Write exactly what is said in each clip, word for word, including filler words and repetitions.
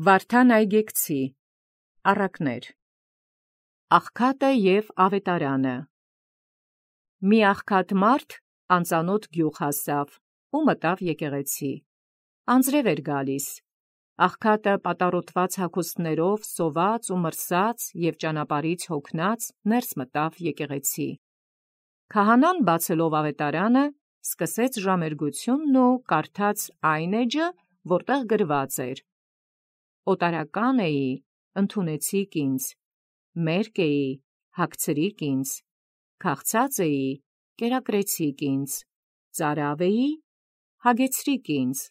Վարդան Այգեկցի առակներ Աղքատը և ավետարանը Մի աղքատ մարդ անծանոթ գյուղ հասավ ու մտավ եկեղեցի։ Անձրև էր գալիս։ Աղքատը պատառոտված հագուստներով, սոված ու մրսած և ճանապարհից հոգնած ներս մտավ եկեղեցի։ Քահանան բացելով ավետարանը սկսեց ժամերգությունն ու կարդաց այն էջը, որտեղ գրված էր. «Օտարական էի, ընդունեցիք ինձ, մերկ էի, հագցրիք ինձ, քաղցած էի, կերակրեցիք ինձ, ծարավ էի, հագեցրիք ինձ»։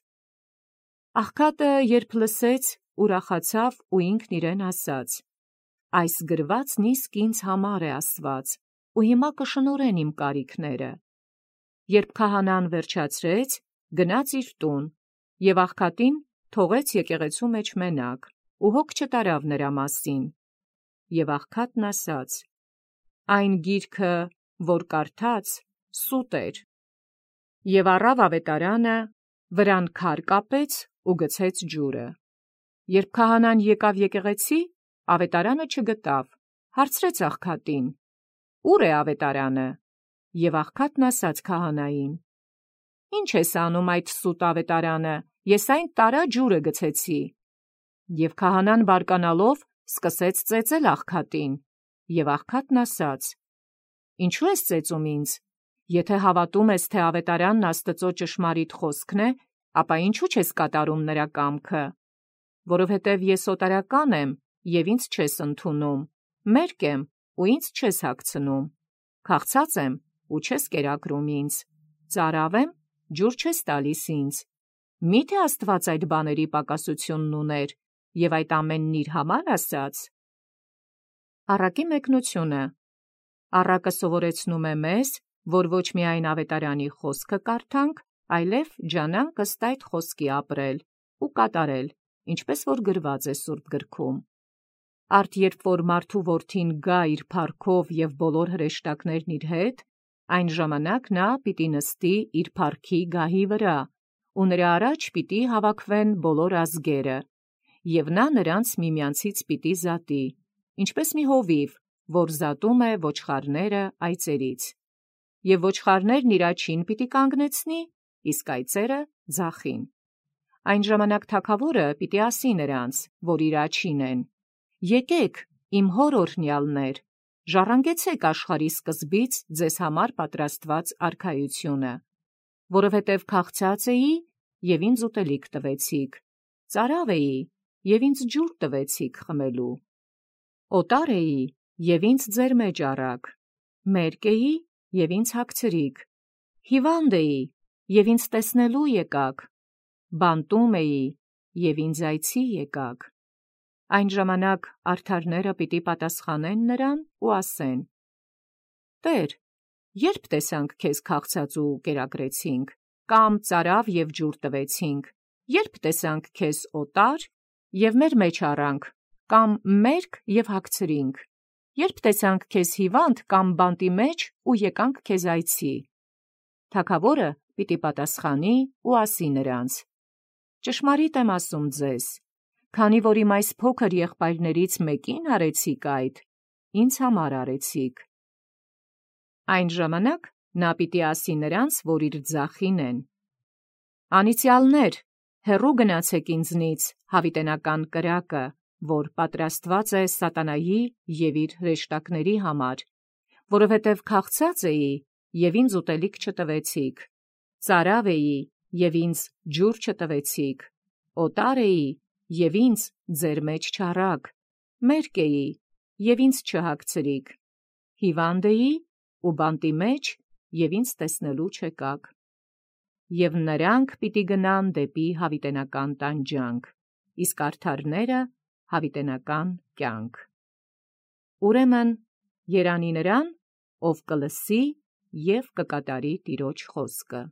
Աղքատը երբ լսեց, ուրախացավ ու ինքն իրեն ասաց. «Այս գրվածն իսկ ինձ համար է ասված, ու հիմա կշնորհեն իմ կարիքները»։ Երբ քահանան վերջացրեց, գնաց իր տուն և աղքատին թողեց եկեղեցու մեջ մենակ ու հոգ չտարավ նրա մասին։ Եվ աղքատն ասաց. «Այն գիրքը, որ կարդաց, սուտ էր»։ Եվ առավ ավետարանը, վրան քար կապեց ու գցեց ջուրը։ Երբ քահանան եկավ եկեղեցի, ավետարանը չգտավ, հարցրեց աղքատին. «Ո՞ւր է ավետարանը»։ Եվ աղքատն ասաց քահանային. «Ի՞նչ ես անում այդ սուտ ավետարանը, ես այն տարա ջուրը գցեցի»։ Եվ քահանան բարկանալով սկսեց ծեծել աղքատին։ Եվ աղքատն ասաց. «Ինչո՞ւ ես ծեծում ինձ. եթե հավատում ես, թե ավետարանն Աստծո ճշմարիտ խոսքն է, ապա ինչու չես կատարում նրա կամքը։ Որովհետև ես օտարական եմ, և ինձ չես ընդունում, մերկ եմ, ու ինձ չես հագցնում, քաղցած եմ, ու չես կերակրում ինձ, ծարավ եմ, ջուր չես տալիս ինձ։ Մի՞թե Աստված այդ բաների պակասությունն ուներ, և այդ ամենն իր համար ասաց»։ Առակի մեկնությունը Առակը սովորեցնում է մեզ, որ ոչ միայն ավետարանի խոսքը կարդանք, այլև ջանանք ըստ այդ խոսքի ապրել ու կատարել, ինչպես որ գրված է սուրբ գրքում։ Արդ երբ որ մարդու որդին գա իր փառքով և բոլոր հրեշտակներն իր հետ, այն ժամանակ նա պիտի նստի իր փառքի գահի վրա, ու նրա առաջ պիտի հավաքվեն բոլոր ազգերը, և նա նրանց միմյանցից պիտի զատի, ինչպես մի հովիվ, որ զատում է ոչխարները այծերից։ Եվ ոչխարներն իր աջին պիտի կանգնեցնի, իսկ այծերը ձախին։ Այն ժամանակ թագավորը պիտի ասի նրանց, որ իր աջին են. «Եկեք, իմ հոր օրհնյալներ, ժառանգեցեք աշխարհի սկզբից ձեզ համար պատրաստված արքայությունը, որովհետև քաղցած էի, և ինձ ուտելիք տվեցիք, ծարավ էի, և ինձ ջուր տվեցիք խմելու, օտար էի, և ինձ ձեր մեջ առաք, մերկ էի, և ինձ հագցրիք, հիվանդ էի, և ինձ տեսնելու եկաք, բանտում էի, և ինձ այցի եկաք»։ Այն ժամանակ արդարները պիտի պատասխանեն նրան ու ասեն. «Տե՛ր, ե՞րբ տեսանք քեզ քաղցած ու կերակրեցինք, կամ ծարավ և ջուր տվեցինք, ե՞րբ տեսանք քեզ օտար և մեր մեջ առանք, կամ մերկ և հագցրինք, ե՞րբ տեսանք քեզ հիվանդ կամ բանտի մեջ ու եկանք քեզ այցի»։ Թագավորը պիտի պատասխանի ու ասի նրանց. «Ճշմարիտ եմ ասում ձեզ, քանի որ իմ այս փոքր եղբայրներից մեկին արեցիք այդ, ինձ համար արեցիք»։ Այն ժամանակ նա պիտի ասի նրանց, որ իր ձախին են. «Անիծյալներ, հեռու գնացեք ինձնից, հավիտենական կրակը, որ պատրաստված է սատանայի և իր հրեշտակների համար, որովհետև քաղցած էի, և ինձ ուտելիք չտվեցիք, ծարավ էի, և ինձ ջուր չտվեցիք, օտար էի, և ինձ ձեր մեջ չառաք, մերկ էի, և ինձ չհագցրիք, հիվանդ էի ու բանտի մեջ, և ինձ տեսնելու չեկաք»։ Եվ նրանք պիտի գնան դեպի հավիտենական տանջանք, իսկ արդարները՝ հավիտենական կյանք։ Ուրեմն երանի նրան, ով կլսի և կկատարի Տիրոջ խոսքը։